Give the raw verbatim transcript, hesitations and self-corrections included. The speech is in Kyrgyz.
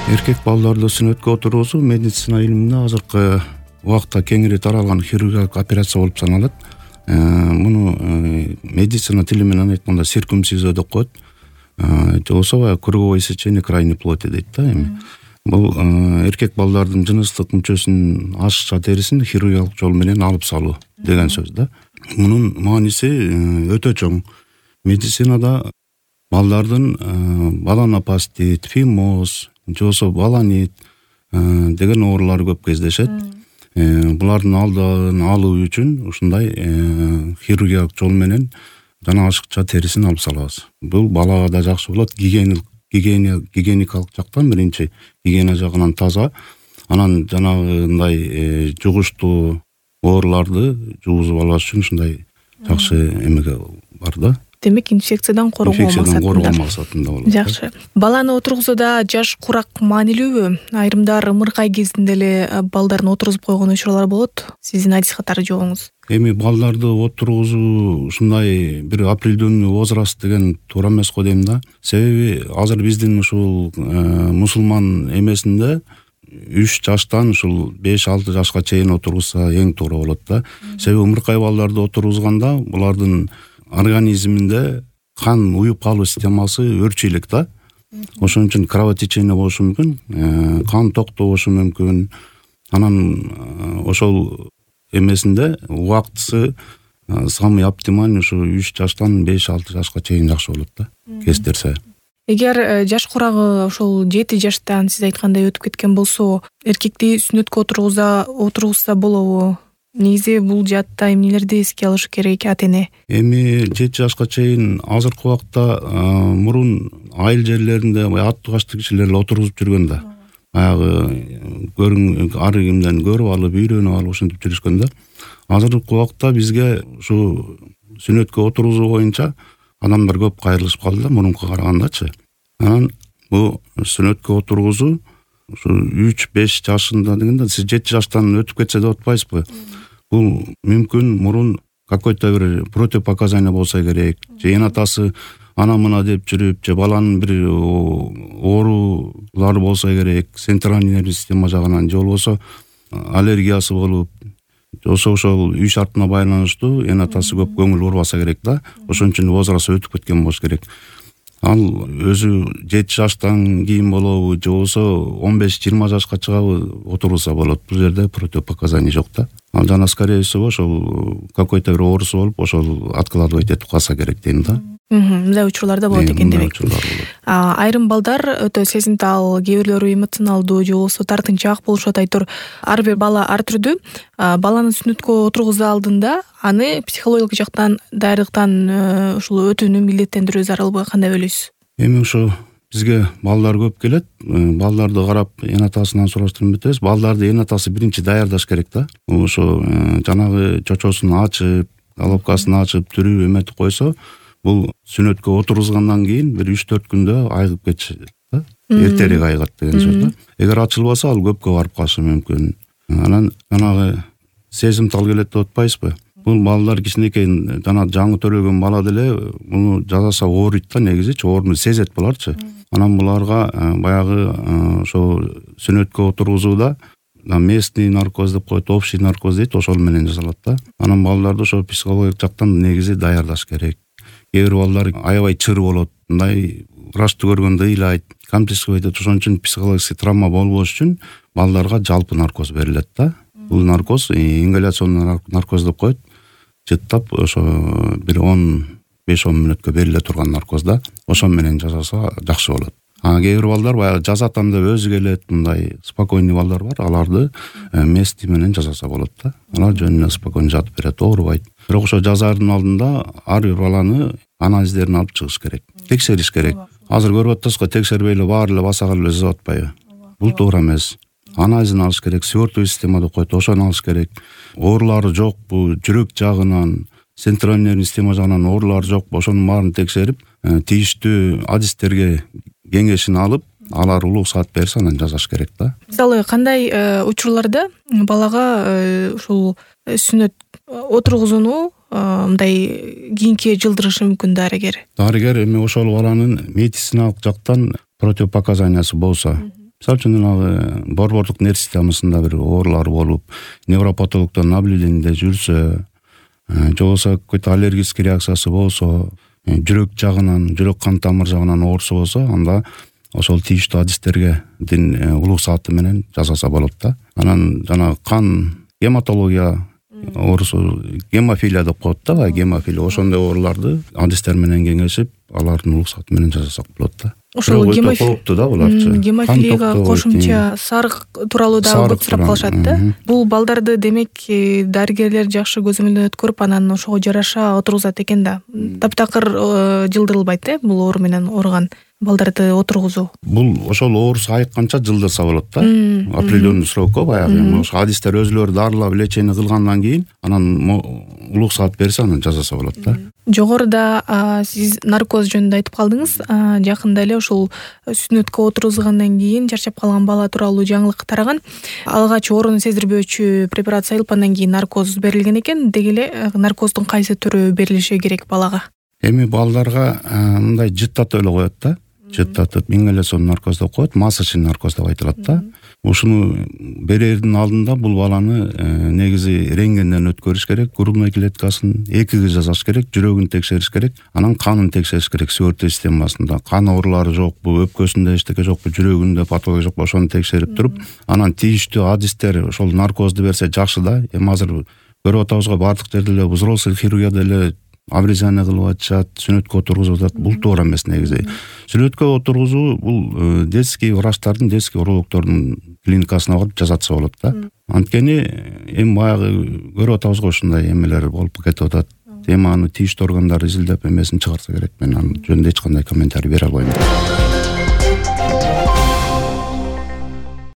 Эркек балдарды сүннөткө отургузуу медицина илиминде азыркы убакта кеңири таралган хирургиялык операция болуп саналат. Муну медицина тили менен айтканда циркумцизия деп коет. же болбосо круговое сечение крайней плоти дейт да эми. Бул эркек балдардын жыныстык мүчөсүнүн ашыкча терисин хирургиялык жол менен алып салуу деген сөз да. Мунун мааниси өтө чоң. Медицинада балдардын баланопастит, фимоз, же болбосо баланит деген оорулар көп кездешет. Булардын алдын алуу үчүн ушундай хирургиялык жол менен жана ашыкча терисин алып салабыз. Бул балага да жакшы болот, гигиеналык гигиеникалык жактан биринчи гигиена жагынан таза, анан жанагындай жугуштуу ооруларды жугузуп албаш үчүн ушундай жакшы эмеге бар да. Демек инфекциядан коргоо максатында болот. Жакшы. Баланы отургузууда жаш курак маанилүүбү? Айрымдар ымыркай кезинде эле балдарын отургузуп койгон учурлар болот. Сиздин адис катары жобоңуз. Эми балдарды отургузуу ушундай бир определенный возраст деген туура эмес го дейм да. Себеби азыр биздин ушул мусулман эмесинде үч жаштан ушул беш алты жашка чейин отургузса эң туура болот да. Себеби ымыркай балдарды отургузганда булардын организминде кан уюп калуу системасы өрчүйлүк да. Ошон үчүн кровотечение болушу мүмкүн, кан токтобошу мүмкүн. Анан ошол эмесинде убактысы самый оптимальный ушу үч жаштан беш алты жашка чейин жакшы болот да, кестерсе. Эгер жаш курагы ошол жети жаштан сиз айткандай өтүп кеткен болсо, эркекти сүннөткө отургуза отургузса болобу? Негизи бул жаатта эмнелерди эске алыш керек ата-эне? Эми жети жашка чейин азыркы убакта мурун айыл жерлеринде аттуу качты кишилер эле отургузуп жүргөн да. Баягы көрүн ар кимден көрүп алып, үйрөнүп алып ушинтип жүрүшкөн да. Азыркы убакта бизге ушу сүннөткө отургузуу боюнча адамдар көп кайрылышып калды да, мурункуга карагандачы. Анан бул сүннөткө отургузуу ушу үч беш жашында дегенде сиз жети жаштан өтүп кетсе деп атпайсызбы? Бул мүмкүн мурун какой-то бир противопоказание болсо керек, же эн атасы ана мына деп жүрүп, же баланын бир оорулары болсо керек, центральный нервный система жагынан, же болбосо аллергиясы болуп, же болбосо ошол үй шартына байланыштуу эн атасы көп көңүл бурбаса керек да. Ошон үчүн возраст өтүп кеткен болуш керек. Ал өзү жети жаштан кийин болобу, же болбосо он беш жыйырма жашка чыгабы отурулса болот. Бул жерде противопоказание жок да. Ал жана скорее всего ошол какой-то бир оорусу болуп, ошол откладывать этип калса керек дейм да. Мындай учурларда болот экен демек. Айрым балдар өтө сезимтал, кээ бирлери эмоционалдуу, же болбосо тартынчаак болушат айтор. Ар бир бала ар түрдүү. Баланы сүннөткө отургузуу алдында аны психологиялык жактан, дайрыктан ушул өтүүнү милдеттендирүү зарылбы, кандай ойлойсуз? Эми ошо бизге балдар көп келет. Балдарды карап эн атасынан сураштырып өтөбүз. Балдарды эн атасы биринчи даярдаш керек да. Ошо жанагы чочосун ачып, головкасын ачып, түрүп эметип койсо, бул сүннөткө отургузгандан кийин бир үч төрт күндө айыгып кетишет да. Эртерээк айыгат деген сөз да. Эгер ачылбаса, ал көпкө барып калышы мүмкүн. Анан жанагы сезимтал келет деп атпайсызбы? Бул балдар кичинекей жана жаңы төрөлгөн бала деле муну жасаса ооруйт да, негизичи ооруну сезет буларчы. Анан буларга баягы ошо сүннөткө отургузууда местный наркоз деп коет, общий наркоз дейт, ошол менен жасалат да. Анан балдарды ошо психологиялык жактан негизи даярдаш керек. Кээ бир балдар аябай чыр болот, мындай врачты көргөндө ыйлайт, камсыздык айтат. Ошон үчүн психологический травма болбош үчүн балдарга жалпы наркоз берилет да. Бул наркоз ингаляционный наркоз деп коет. Жыттап ошо бир он беш он мүнөткө бериле турган наркоз да. Ошон менен жасаса жакшы болот. А кээ бир балдар баягы жазатам деп өзү келет, мындай спокойный балдар бар, аларды местный менен жасаса болот да. Алар жөнүнө спокойно жатып берет, оорубайт. Бирок ошо жазаардын алдында ар бир баланы анализдерин алып чыгыш керек, текшериш керек. Азыр көрүп атасызго, текшербей эле баары эле басак эле жазып атпайбы? Бул туура эмес. Анализин алыш керек, свертовый система деп коет, ошону алыш керек. Оорулары жокпу, жүрөк жагынан, центральный нервный система жагынан оорулары жокпу, ошонун баарын текшерип, тийиштүү адистерге кеңешин алып, алар уруксаат берсе анан жасаш керек да. Мисалы, кандай учурларда балага ушул сүннөт отургузууну мындай кийинки жылдырышы мүмкүн дарыгер? Дарыгер эми ошол баланын медициналык жактан противопоказаниясы болсо, Мисалы үчүн жанагы борбордук нерв системасында бир оорулар болуп, невропатологдон наблюдениеде жүрсө, же болбосо какой-то аллергический реакциясы болсо, жүрөк жагынан, жүрөк кан тамыр жагынан оорусу болсо, анда ошол тийиштүү адистерге дин улуг сааты менен жасаса болот да. Анан жана кан гематология оорусу, гемофилия деп коет да, баягы гемофилия, ошондой ооруларды адистер менен кеңешип, алардын улуг сааты менен жасасак болот да. Ошол гемофилия да буларчы. Гемофилияга кошумча сарык тууралуу дагы көп сурап калышат да. Бул балдарды демек дарыгерлер жакшы көзөмөлдөн өткөрүп, анан ошого жараша отургузат экен да. Таптакыр жылдырылбайт э, бул оору менен ооруган балдарды отургузуу. Бул ошол оорусу айыкканча жылдырса болот да. Определенный срокко баягы. Ошо адистер өзүлөрү дарылап лечение кылгандан кийин анан улуг саат берсе, анан жасаса болот да. Жогоруда сиз наркоз жөнүндө айтып калдыңыз. Жакында эле ушул сүнөткө отургузгандан кийин чарчап калган бала тууралуу жаңылык тараган. Алгач ооруну сездирбөөчү препарат сайылып, андан кийин наркоз берилген экен. Деги эле наркоздун кайсы түрү берилиши керек балага? Эми балдарга мындай жыттатып эле коет да. Жыттатып ингаляцион наркоз деп коет, масочный наркоз деп айтылат да. Ушуну берердин алдында бул баланы негизи рентгенден өткөрүш керек, грудной клеткасын экиге жасаш керек, жүрөгүн текшериш керек, анан канын текшериш керек, свертый системасында кан оорулары жокпу, өпкөсүндө эчтеке жокпу, жүрөгүндө патология жокпу, ошону текшерип туруп, анан тийиштүү адистер ошол наркозду берсе жакшы да. Эми азыр көрүп атабызга, бардык жерде эле взрослый хирургияда эле абрезание кылып атышат, сүнөткө отургузуп атат. Бул туура эмес негизи. Сүнөткө отургузуу бул детский врачтардын, детский урологдордун клиникасына барып жасатса болот да. Анткени эми баягы көрүп атабызга ушундай эмелер болуп кетип атат. Эми аны тийиштүү органдар изилдеп эмесин чыгарса керек. Мен анын жөнүндө эч кандай комментарий бере албайм.